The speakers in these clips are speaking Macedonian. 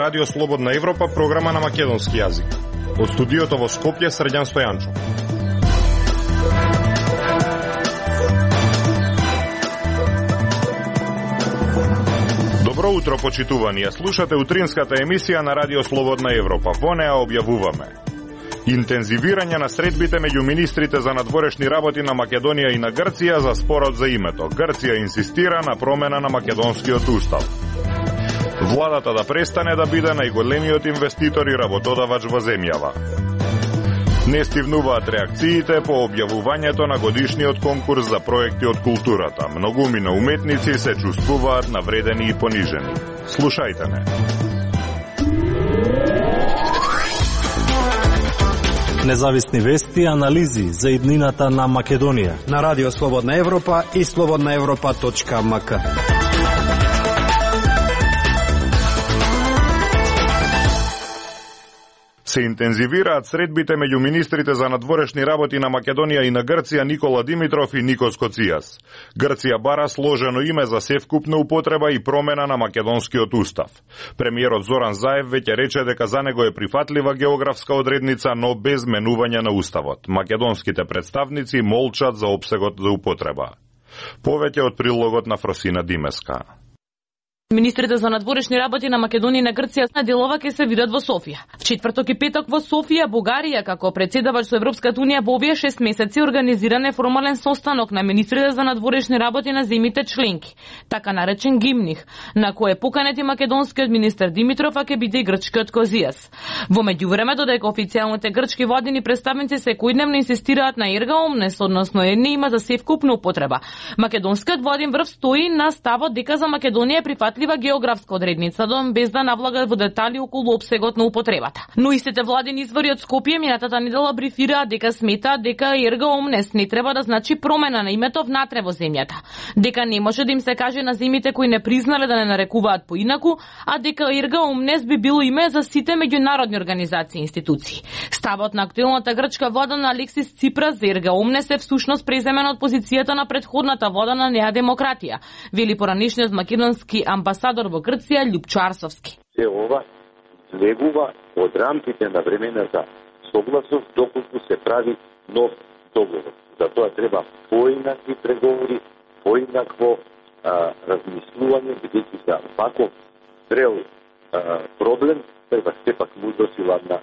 Радио Слободна Европа, програма на македонски јазик. Од студиото во Скопје, Срđan Стојанчов. Добро утро, почитувани. Ја слушате утринската емисија на Радио Слободна Европа. Во неа објавуваме интензивирање на средбите меѓу министрите за надворешни работи на Македонија и на Грција за спорот за името. Грција инсистира на промена на македонскиот устав. Владата да престане да биде најголемиот инвеститор и работодавач во земјава. Не стивнуваат реакциите по објавувањето на годишниот конкурс за проекти од културата. Многумина уметници се чувствуваат навредени и понижени. Слушајте не. Независни вести и анализи за иднината на Македонија на Радио Слободна Европа и slobodnaevropa.mk. Се интензивираат средбите меѓу министрите за надворешни работи на Македонија и на Грција Никола Димитров и Никос Коцијас. Грција бара сложено име за севкупна употреба и промена на македонскиот устав. Премиерот Зоран Заев веќе рече дека за него е прифатлива географска одредница, но без менување на уставот. Македонските представници молчат за опсегот за употреба. Повеќе од прилогот на Фросина Димеска. Министрите за надворешни работи на Македонија и на Грција на делова ќе се видат во Софија. В четврток и петок во Софија, Бугарија, како председавач со Европската унија во овие 6 месеци организиран е формален состанок на министрите за надворешни работи на земјите членки, така наречен Гимних, на кој е поканет и македонскиот министер Димитров, а ќе биде и грчкиот Козијас. Во меѓувреме, додека официјалните грчки владини представници секојдневно инсистираат на ерга омнес, односно едни има за севкупна употреба, македонскиот владин врв стои на ставот дека за Македонија е прифатлива географска одредница, без да навлага во детали околу опсегот на употребата. Но истите владини извори од Скопје минатата недела брифираат дека сметаат дека ерга омнес не треба да значи промена на името внатре во земјата, дека не може да им се каже на земјите кои не признале да не нарекуваат поинаку, а дека ерга омнес би било име за сите меѓународни организации и институции. Ставот на актуелната грчка влада на Алексис Ципрас за ерга омнес е всушност преземен од позицијата на претходната влада на Неа демократија, вели поранишниот македонски амбасадор во Грција Љупчо Арсовски. Се ова излегува од рамките на времената согласност доколку се прави нов договор. Затоа треба поинакви преговори, поинакво размислување, бидејќи за ваков зрел проблем треба сепак мудрост и ладна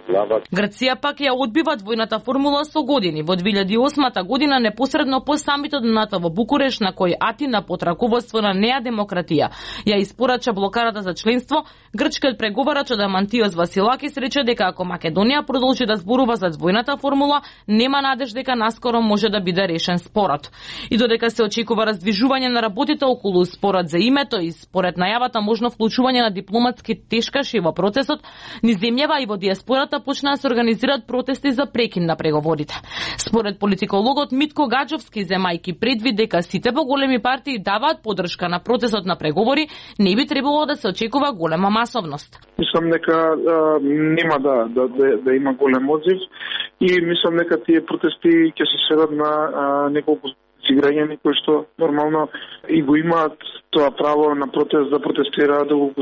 глава. Грција пак ја одбива двојната формула со години. Во 2008 година, непосредно по самитот на НАТО во Букуреш, на кој Атина под раководство на Неа демократија ја испорача блокарата за членство, грчкиот преговарач Адамантиос Василакис рече дека ако Македонија продолжи да зборува за двојната формула, нема надеж дека наскоро може да биде решен спорот. И додека се очекува раздвижување на работите околу спорот за името и според најавата можно вклучување на дипломатски тешкаши во процесот, низ земјава и во диаспората почна да се организираат протести за прекин на преговорите. Според политикологот Митко Гаджовски, земајки предвид дека сите поголеми партии даваат поддршка на процесот на преговори, не би требало да се очекува голема масовност. Мислам дека нема да има голем одзив и мислам дека тие протести ќе се сведат на неколку граѓани кои што нормално и го имаат тоа право на протест да протестираат доколку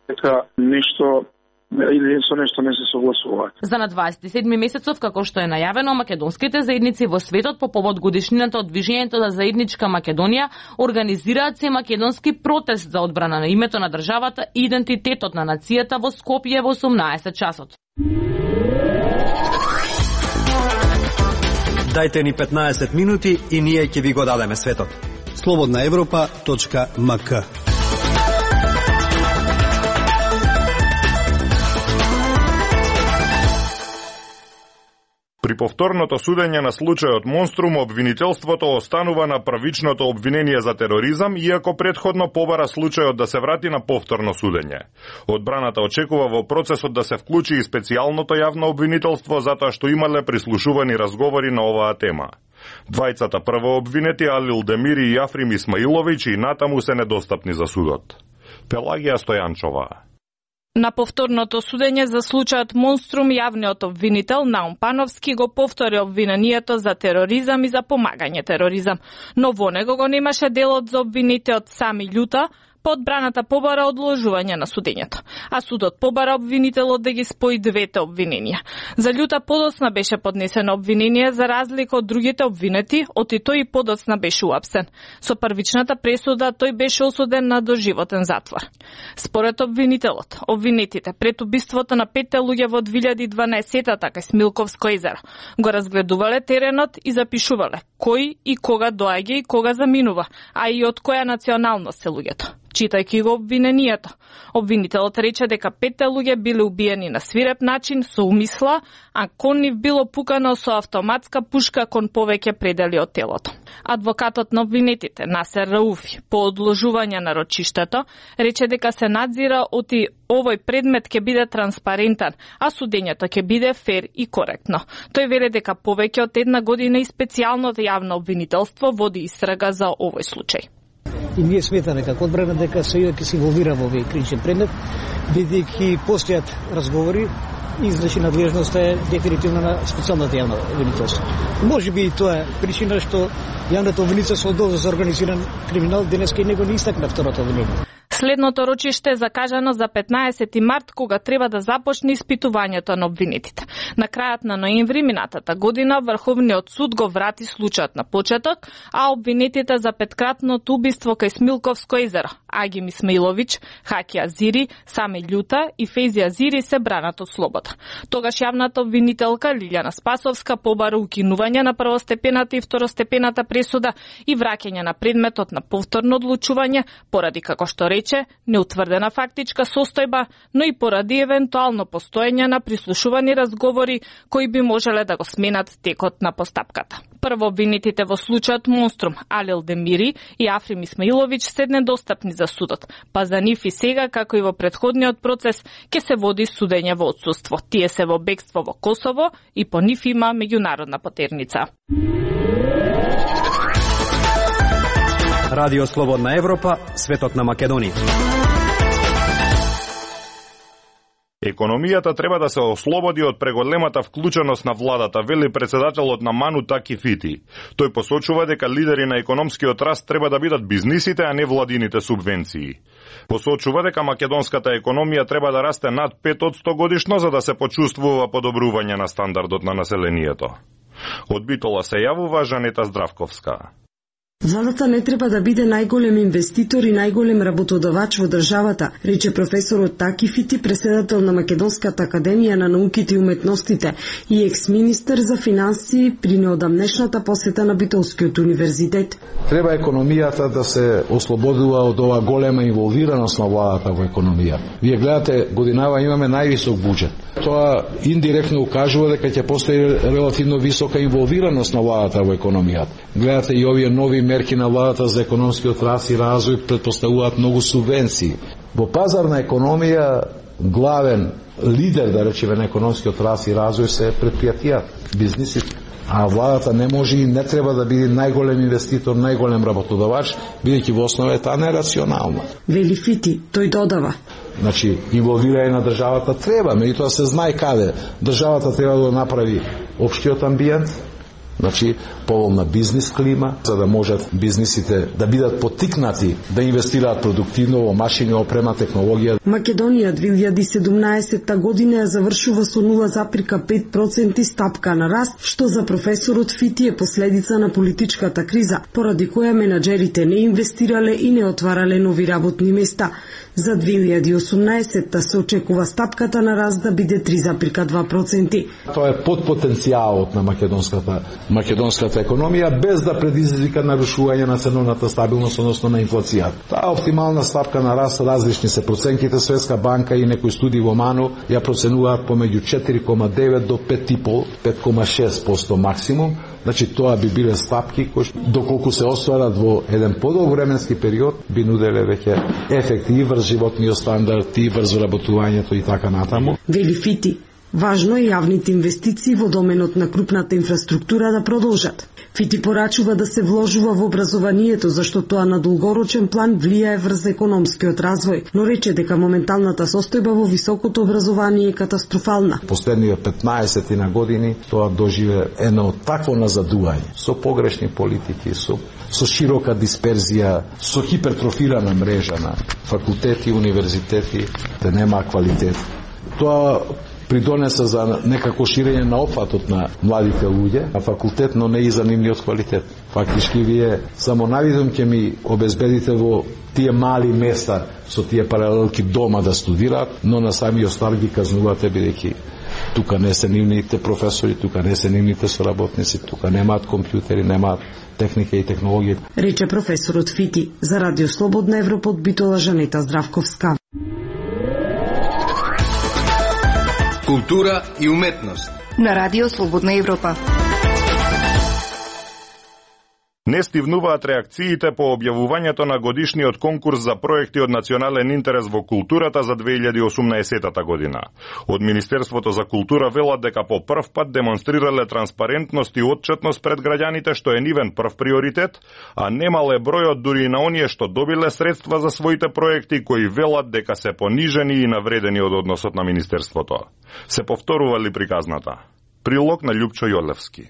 дека нешто или со нешто не се согласуваат. За на 27 месецов, како што е најавено, македонските заедници во светот по повод годишнината од движењето за заедничка Македонија организираат се македонски протест за одбрана на името на државата и идентитетот на нацијата во Скопје во 18 часот. Дајте ни 15 минути и ние ќе ви го дадеме светот. slobodnaevropa.mk. При повторното судење на случајот Монструм, обвинителството останува на првичното обвинение за тероризам, иако претходно побара случајот да се врати на повторно судење. Одбраната очекува во процесот да се вклучи и специјалното јавно обвинителство, затоа што имале прислушувани разговори на оваа тема. Двајцата прво обвинети, Алил Демири и Африм Исмаиловиќ, и натаму се недостапни за судот. Пелагија Стојанчова. На повторното судење за случајот Монструм, јавниот обвинител Наум Пановски го повтори обвинението за тероризам и за помагање тероризам, но во него го немаше делот за обвинитеот Сами Љута, По одбраната побара одложување на судењето, а судот побара обвинителот да ги спои двете обвиненија. За Љута подоцна беше поднесено обвинение за разлика од другите обвинети, оти тој подоцна беше уапсен. Со првичната пресуда тој беше осуден на доживотен затвор. Според обвинителот, обвинетите пред убиството на 5 луѓе во 2012-та кај Смилковско езеро го разгледувале теренот и запишувале кој и кога доаѓа и кога заминува, а и од која националност се луѓето. Читајќи го обвинението, обвинителот рече дека 5 луѓе биле убиени на свиреп начин со умисла, а кон нив било пукано со автоматска пушка кон повеќе предели од телото. Адвокатот на обвинетите, Насер Рауфи, по одложување на рочиштето, рече дека се надзира оти овој предмет ќе биде транспарентен, а судењето ќе биде фер и коректно. Тој веле дека повеќе од 1 година и специјалното јавно обвинителство води истрага за овој случај. И ние сметаме како одбрана дека сојот ќе се инволвира во овој кричен предмет, бидејќи постојат разговори и значи надлежноста е дефинитивно на специјалното јавно обвинителство. Може би и тоа е причина што јавното обвинителство за организиран криминал денеска и него не истакна второто обвинение. Следното рочиште е закажано за 15 март, кога треба да започне испитувањето на обвинетите. На крајот на ноември минатата година Врховниот суд го врати случајот на почеток, а обвинетите за петкратното убиство кај Смилковско езеро, Агим Исмаиловиќ, Хаки Азири, Сами Љута и Фейзи Азири се бранат од слобода. Тогаш јавната обвинителка Лилјана Спасовска побара укинување на првостепената и второстепената пресуда и враќање на предметот на повторно одлучување, поради како што рече, неутврдена фактичка состојба, но и поради евентуално постоење на прислушувани разговори кои би можеле да го сменат текот на постапката. Прво обвинетите во случајот Монструм, Алил Демири и Африм Исмаиловиќ се недостапни за судот, па за нив и сега, како и во претходниот процес, ќе се води судење во отсуство. Тие се во бегство во Косово и по нив има меѓународна потерница. Радио Слободна Европа, светот на Македонија. Економијата треба да се ослободи од преголемата вклученост на владата, вели председателот на Ману Таки Фити. Тој посочува дека лидери на економскиот раст треба да бидат бизнисите, а не владините субвенции. Посочува дека македонската економија треба да расте над 5% годишно за да се почувствува подобрување на стандардот на населението. Од Битола се јавува Жанета Здравковска. Владата не треба да биде најголем инвеститор и најголем работодавач во државата, рече професорот Таки Фити, преседател на Македонската академија на науките и уметностите и екс-министер за финансии при неодамнешната посета на Битолскиот универзитет. Треба економијата да се ослободува од ова голема инволвираност на владата во економија. Вие гледате, годинава имаме највисок буџет. Тоа индиректно укажува дека ќе постои релативно висока инволвираност на владата во економијата. Гледате и овие нови мерки на владата за економскиот раст и развој претпоставуваат многу субвенции. Во пазарна економија главен лидер, да речеме, на економскиот раст и развој се претпријатија, бизнисите. А владата не може и не треба да биде најголем инвеститор, најголем работодавач, бидејќи во основа е таа нерационална. Вели Фити, тој додава. Значи, инволвирање на државата треба, меѓутоа се знае каде. Државата треба да направи општиот амбиент, значи поволна бизнис клима, за да можат бизнисите да бидат поттикнати да инвестираат продуктивно во машини, опрема, технологија. Македонија 2017 година ја завршува со 0,5% стапка на раст, што за професорот Фити е последица на политичката криза, поради која менаџерите не инвестирале и не отварале нови работни места. За 2018 се очекува стапката на раст да биде 3,2%. Тоа е под потенцијалот на македонската економија, без да предизвика нарушување на ценовната стабилност, односно на инфлацијата. Таа оптимална стапка на раст, различни се проценките, Светска банка и некои студии во МАНУ ја проценуваат помеѓу 4,9 до 5,5, 5,6% максимум. Значи тоа би биле стапки кои доколку се остварат во еден подолг временски период би нуделе веќе ефекти и врз животниот стандард, и врз работувањето и така натаму. Вели Фити, важно е јавните инвестиции во доменот на крупната инфраструктура да продолжат. Фити порачува да се вложува во образованието, зашто тоа на долгорочен план влијае врз економскиот развој, но рече дека моменталната состојба во високото образование е катастрофална. Последниве 15 на години тоа доживе едно такво назадување, со погрешни политики, со широка дисперзија, со хипертрофирана мрежа на факултети, универзитети, да нема квалитет. Тоа придонеса за некако ширење на опфатот на младите луѓе, а факултет, но не и за нивниот квалитет. Фактички вие само навидом ќе ми обезбедите во тие мали места со тие паралелки дома да студираат, но на самиот старт ги казнувате бидејќи тука не се нивните професори, тука не се нивните соработници, тука немаат компјутери, немаат техника и технологија. Рече професорот Фити за Радио Слободна Европа од Битола Жанета Здравковска. Култура и уметност на Радио Слободна Европа. Не стивнуваат реакциите по објавувањето на годишниот конкурс за проекти од национален интерес во културата за 2018 година. Од Министерството за култура велат дека по прв пат демонстрирале транспарентност и отчетност пред граѓаните, што е нивен прв приоритет, а немале бројот дури и на оние што добиле средства за своите проекти, кои велат дека се понижени и навредени од односот на Министерството. Се повторували приказната. Прилог на Љупчо Јолевски.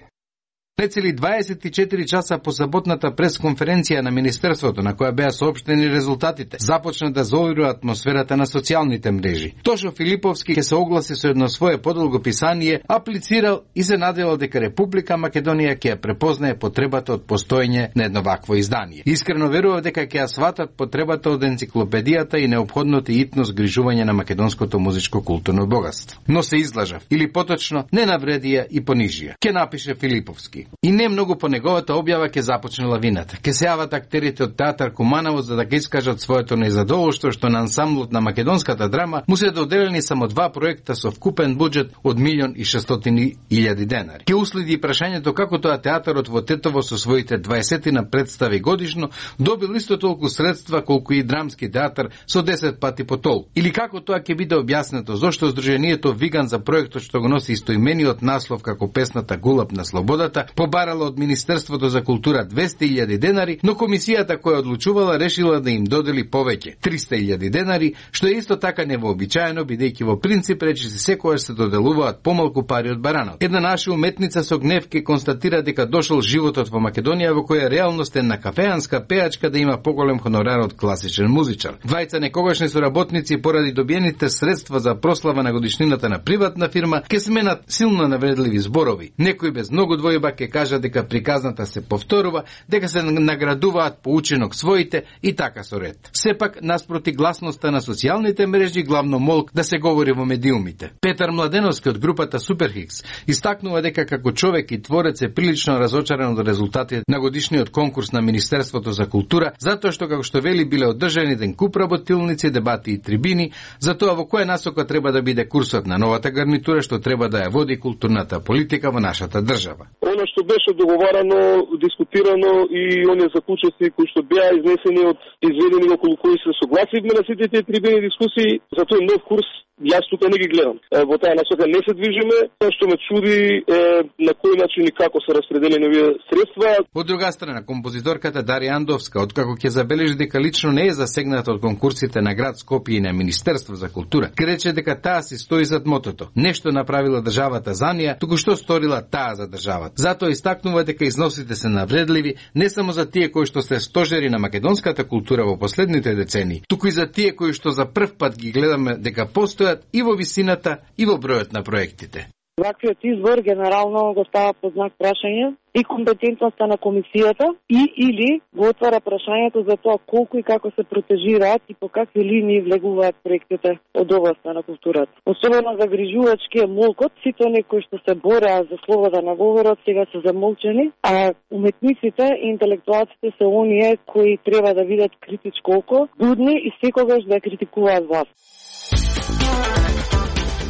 Нецели 24 часа по саботната пресконференција на Министерството, на која беа соопштени резултатите, започна да заовирува атмосферата на социјалните мрежи. Тошо Филиповски ќе се огласи со едно свое подолго писание, аплицирал и се наделал дека Република Македонија ќе ја препознае потребата од постоење на едно вакво издание. Искрено верував дека ќе ја сватат потребата од енциклопедијата и неопходното итно згрижување на македонското музичко културно богатство. Но се излажав, или поточно, не навредија и понижија. Ке напише Филиповски. И не многу по неговата објава ќе започне лавината. Ке се јават актерите од театар Куманово за да ќе искажат своето незадоволство што на ансамблот на македонската драма му се доделени само 2 проекта со вкупен буџет од 1.600.000 денари. Ке уследи прашањето како тоа театарот во Тетово со своите 20 на представи годишно добил исто толку средства колку и драмски театар со 10 пати по толку. Или како тоа ќе биде објаснето зошто Сдруженијето Виган за проектот што го носи истоимениот наслов како песната Гулаб на слободата побарала од Министерството за култура 200.000 денари, но комисијата која одлучувала решила да им додели повеќе 300.000 денари, што е исто така невообичаено бидејќи во принцип речи се секогаш се доделуваат помалку пари од баранот. Една наша уметница со гнев ке констатира дека дошол животот во Македонија во која реалност е на кафеанска пеачка да има поголем хонорар од класичен музичар. Двајца некогашни соработници поради добиените средства за прослава на годишнината на приватна фирма ке сменат силно навредливи зборови. Некој без многу двојба ке кажа дека приказната се повторува, дека се наградуваат по учинок своите и така со ред. Сепак, наспроти гласноста на социјалните мрежи, главно молк да се говори во медиумите. Петар Младеновски од групата Суперхикс истакнува дека како човек и творец е прилично разочаран од резултатите на годишниот конкурс на Министерството за култура, затоа што како што вели биле одржани еден куп работилници, дебати и трибини, за тоа во која насока треба да биде курсот на новата гарнитура што треба да ја води културната политика во нашата држава. Оно што беше договарано, дискутирано и оние заклучоци кои што беа изнесени од изведени околу кои се согласивме на сите тие трибини дискусии, за тој нов курс јас тука не ги гледам. Во таа насока не се движиме, тоа што ме чуди е на кој начин и како се распределени овие средства. Од друга страна, композиторката Дарија Андовска, откако ќе забележи дека лично не е засегната од конкурсите на град Скопје и на Министерство за култура, ке рече дека таа си стои зад мотото. Нешто направила државата за неа, туку што сторила таа за државата. Затоа истакнува дека износите се навредливи не само за тие кои што се стожери на македонската култура во последните децении, туку и за тие кои што за прв пат ги гледаме дека постојат и во висината и во бројот на проектите. Ваквиот избор генерално го става под знак прашање и компетентноста на комисијата и или го отвара прашањето за тоа колку и како се протежираат и по какви линии влегуваат проектите од областа на културата. Особено загрижувачки е молкот, сите оние кои што се бореа за слобода на говорот сега се замолчени, а уметниците и интелектуалците се оние кои треба да видат критичко око, будни и секогаш да критикуваат власт.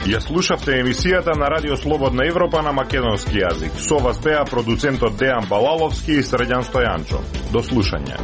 Ја слушавте емисијата на Радио Слободна Европа на македонски јазик. Со вас беа продуцентот Дејан Балаловски и Срđan Стојанчо. До слушање.